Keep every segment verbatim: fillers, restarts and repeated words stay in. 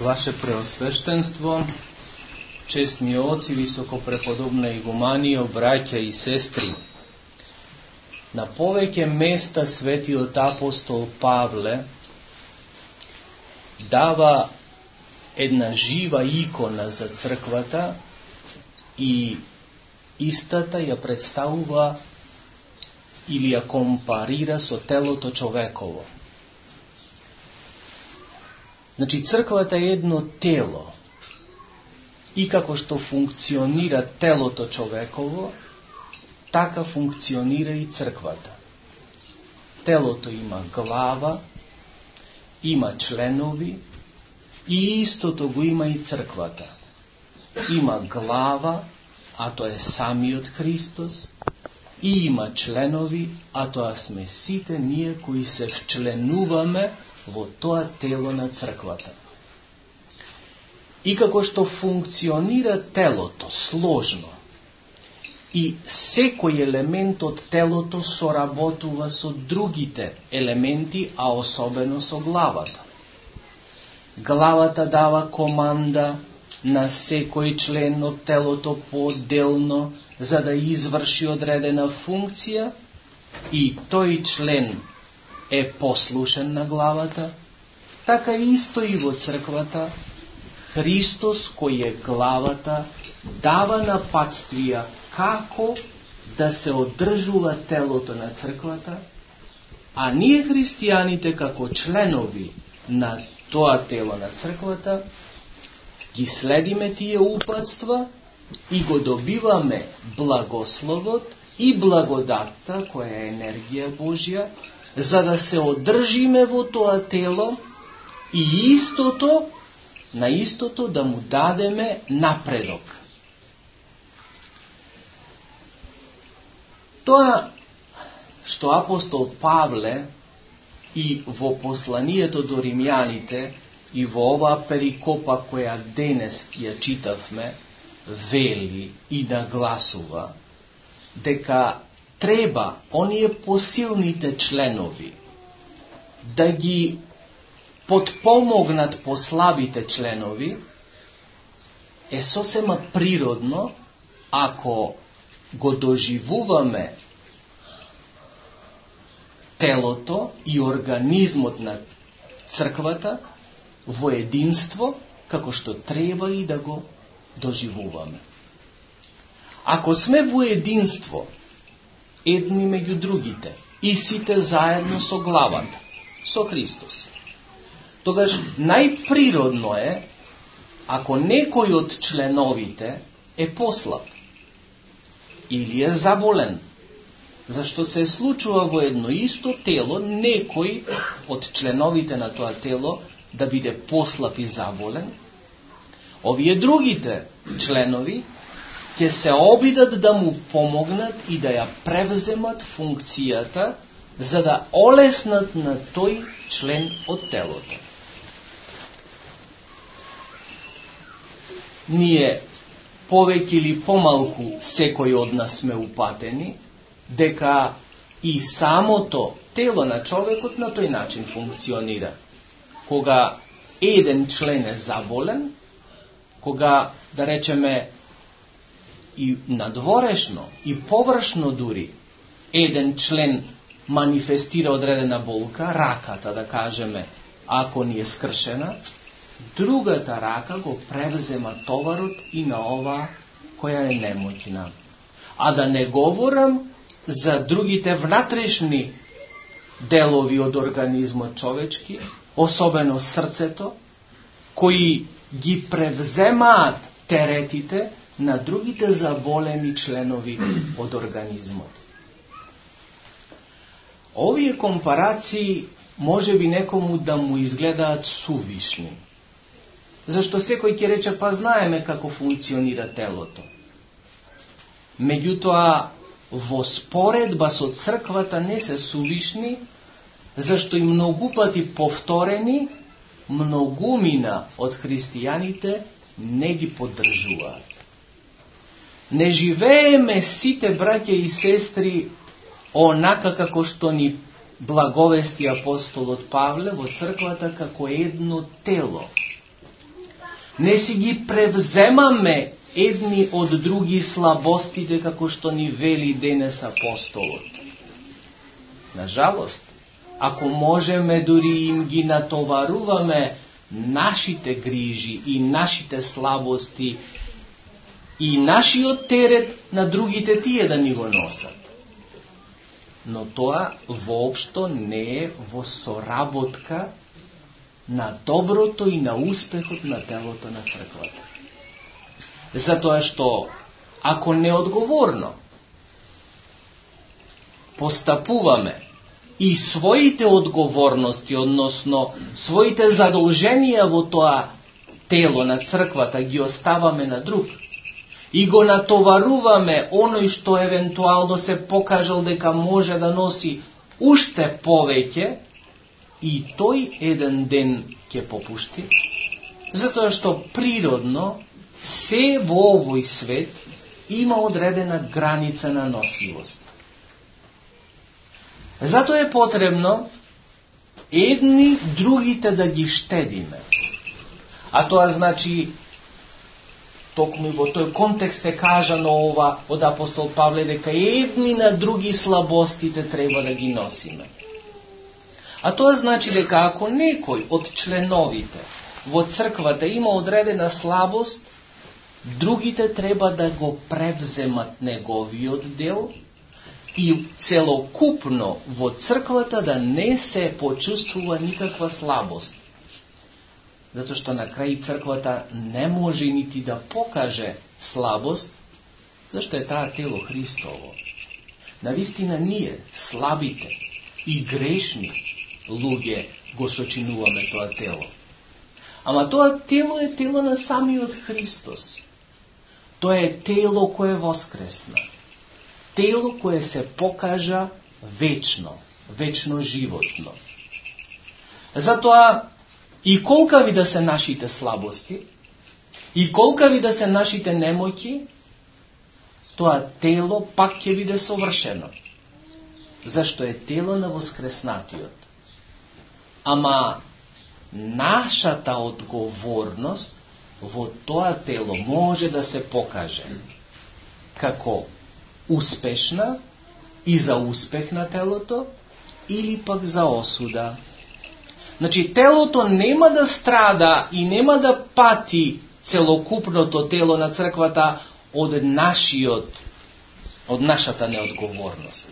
Ваше Преосвещенство, честни оци, високопреподобна игуманија, браќа и сестри, на повеќе места светиот апостол Павле дава една жива икона за црквата и истата ја представува или ја компарира со телото човеково. Значи, црквата е едно тело и како што функционира телото човеково, така функционира и црквата. Телото има глава, има членови и истото го има и црквата. Има глава, а тоа е самиот Христос, и има членови, а тоа сме сите ние кои се вчленуваме во тоа тело на црквата. И како што функционира телото сложно, и секој елемент од телото соработува со другите елементи, а особено со главата. Главата дава команда на секој член од телото поотделно, за да изврши одредена функција, и тој член е послушен на главата. Така исто и во црквата, Христос, кој е главата, дава напатствија како да се одржува телото на црквата, а ние христијаните како членови на тоа тело на црквата ги следиме тие упатства и го добиваме благословот и благодатта, која е енергија Божја, за да се одржиме во тоа тело и истото, на истото да му дадеме напредок. Тоа што апостол Павле и во посланието до римјаните и во оваа перикопа која денес ја читавме, вели и нагласува дека треба оние посилните членови да ги подпомогнат послабите членови, е сосема природно ако го доживуваме телото и организмот на црквата во единство, како што треба и да го доживуваме. Ако сме во единство, едни меѓу другите, и сите заедно со главата, со Христос, тогаш најприродно е, ако некој од членовите е послаб, или е заболен, зашто се случува во едно исто тело, некој од членовите на тоа тело да биде послаб и заболен, овие другите членови ќе се обидат да му помогнат и да ја превземат функцијата, за да олеснат на тој член од телото. Ние повеќе или помалку секој од нас сме упатени дека и самото тело на човекот на тој начин функционира. Кога еден член е заболен, кога, да речеме, и надворешно, и површно дури, еден член манифестира одредена болка, раката, да кажеме, ако ни е скршена, другата рака го превзема товарот и на ова која е немоќна. А да не говорам за другите внатрешни делови од организмот човечки, особено срцето, кои ги превземаат теретите на другите заболени членови од организмот. Овие компарации може би некому да му изгледаат сувишни, зашто секој ќе рече, па знаеме како функционира телото. Меѓутоа, во споредба со црквата не се сувишни, зашто и многу пати повторени, многумина од христијаните не ги поддржуваат. Не живееме сите браќа и сестри онака како што ни благовести апостолот Павле во црквата како едно тело. Не си ги превземаме едни од други слабостите, како што ни вели денес апостолот. На жалост, ако можеме дури им ги натоваруваме нашите грижи и нашите слабости и нашиот терет на другите тие да ни го носат. Но тоа воопшто не е во соработка на доброто и на успехот на телото на црквата. Затоа што, ако неодговорно постапуваме и своите одговорности, односно своите задолженија во тоа тело на црквата ги оставаме на друг и го натоваруваме оној што евентуално се покажал дека може да носи уште повеќе, и тој еден ден ќе попушти, затоа што природно се во овој свет има одредена граница на носивост. Затоа е потребно едни другите да ги штедиме. А тоа значи, токму и во тој контекст е кажано ова од апостол Павле, дека едни на други слабостите треба да ги носиме. А тоа значи дека ако некој од членовите во црквата има одредена слабост, другите треба да го превземат неговиот дел и целокупно во црквата да не се почувствува никаква слабост. Затоа што на крај црквата не може нити да покаже слабост, зашто е таа тело Христово. Навистина ние, слабите и грешни луѓе, го сочинуваме тоа тело. Ама тоа тело е тело на самиот Христос. Тоа е тело кое воскресна. Тело кое се покажа вечно, вечно животно. Затоа и колкави да се нашите слабости, и колкави да се нашите немоќи, тоа тело пак ќе биде совршено. Зашто е тело на воскреснатиот. Ама нашата одговорност во тоа тело може да се покаже како успешна и за успех на телото, или пак за осуда. Значи, телото нема да страда и нема да пати целокупното тело на црквата од нашиот, од нашата неодговорност.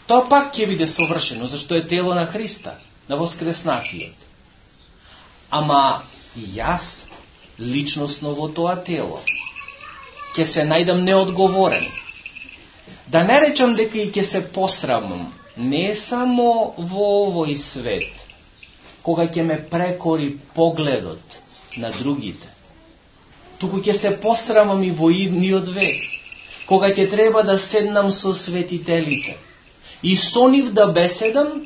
Тоа пак ќе биде совршено, зашто е тело на Христа, на воскреснатиот. Ама јас, личносно во тоа тело, ќе се најдам неодговорен. Да не речам дека и ќе се посрамам, не само во овој свет, кога ќе ме прекори погледот на другите, туку ќе се посрамам и во идниот век, кога ќе треба да седнам со светителите и со нив да беседам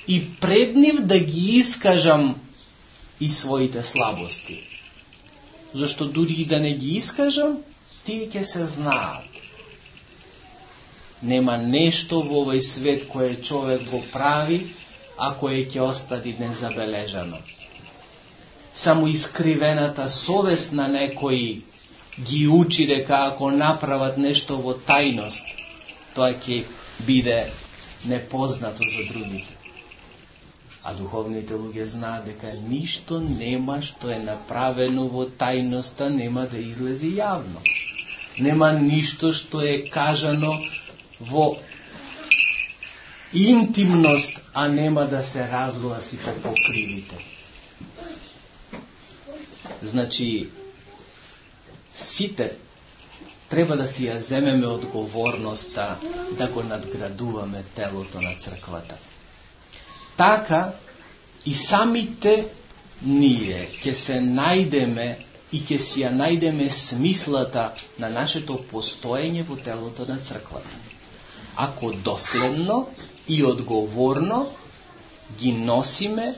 и пред нив да ги искажам и своите слабости. Зашто дури и да не ги искажам, тие ќе се знаат. Нема нешто во овој свет кое човек го прави, а кое ќе остади незабележано. Само искривената совест на некои ги учи дека ако направат нешто во тајност, тоа ќе биде непознато за другите. А духовните луѓе знаат дека ништо нема што е направено во тајноста нема да излези јавно. Нема ништо што е кажано во интимност, а нема да се разгласи по покривите. Значи, сите треба да си ја земеме одговорноста да го надградуваме телото на црквата. Така и самите ние ќе се најдеме и ќе си ја најдеме смислата на нашето постоење во телото на црквата. Ако доследно и одговорно ги носиме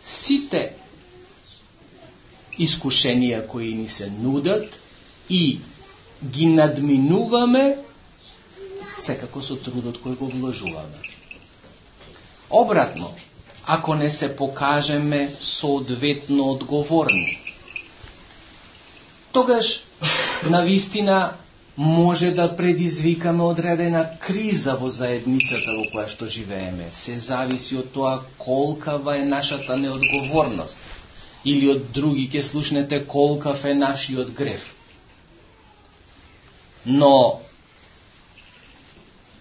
сите искушенија кои ни се нудат и ги надминуваме секако со трудот кој го вложуваме. Обратно, ако не се покажеме соодветно одговорни, тогаш навистина може да предизвикаме одредена криза во заедницата во која што живееме. Се зависи од тоа колкава е нашата неодговорност. Или од други ќе слушнете колкав е нашиот греф. Но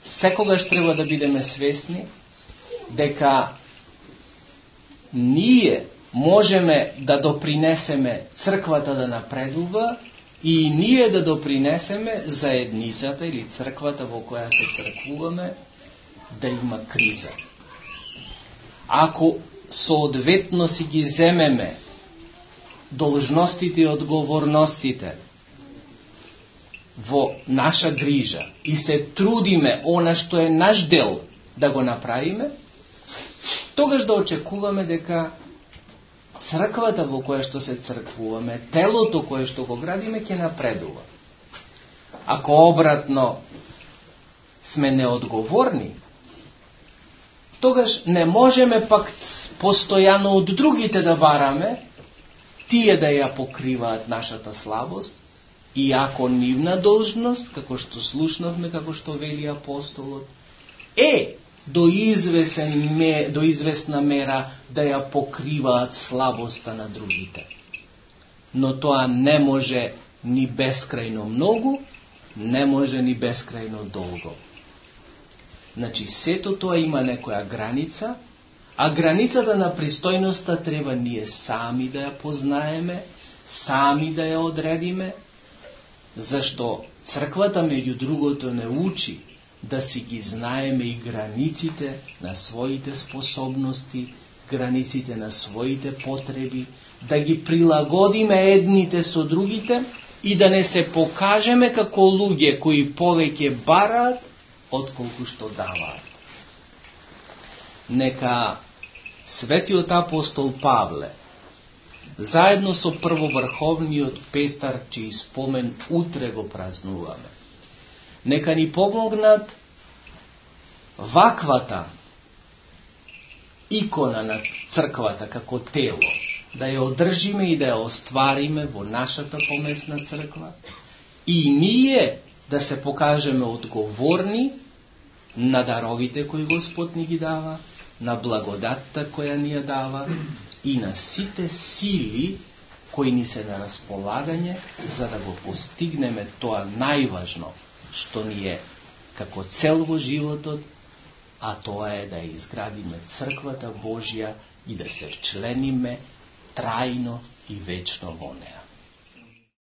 секогаш треба да бидеме свесни дека ние можеме да допринесеме црквата да напредува и ние да допринесеме заедницата или црквата во која се црквуваме да има криза. Ако соодветно си ги земеме должностите и одговорностите во наша грижа и се трудиме она што е наш дел да го направиме, тогаш да очекуваме дека црквата во која што се црквуваме, телото кое што го градиме, ќе напредува. Ако обратно сме неодговорни, тогаш не можеме пак постојано од другите да бараме тие да ја покриваат нашата слабост, и ако нивна должност, како што слушнавме, како што вели апостолот, е до извесен ме, до известна мера да ја покриваат слабоста на другите. Но тоа не може ни бескрајно многу, не може ни бескрајно долго. Значи, сето тоа има некоја граница, а границата на пристојноста треба ние сами да ја познаеме, сами да ја одредиме, зашто црквата меѓу другото не учи да си ги знаеме и границите на своите способности, границите на своите потреби, да ги прилагодиме едните со другите и да не се покажеме како луѓе кои повеќе бараат отколку што даваат. Нека светиот апостол Павле, заедно со првоврховниот Петар, чиј спомен утре го празнуваме, нека ни помогнат ваквата икона на црквата како тело, да ја одржиме и да ја оствариме во нашата помесна црква, и ние да се покажеме одговорни на даровите кои Господ ни ги дава, на благодатта која ни ја дава и на сите сили кои ни се на располагање, за да го постигнеме тоа најважно што ни е како цел во животот, а тоа е да изградиме црквата Божја и да се вчлениме трајно и вечно во неа.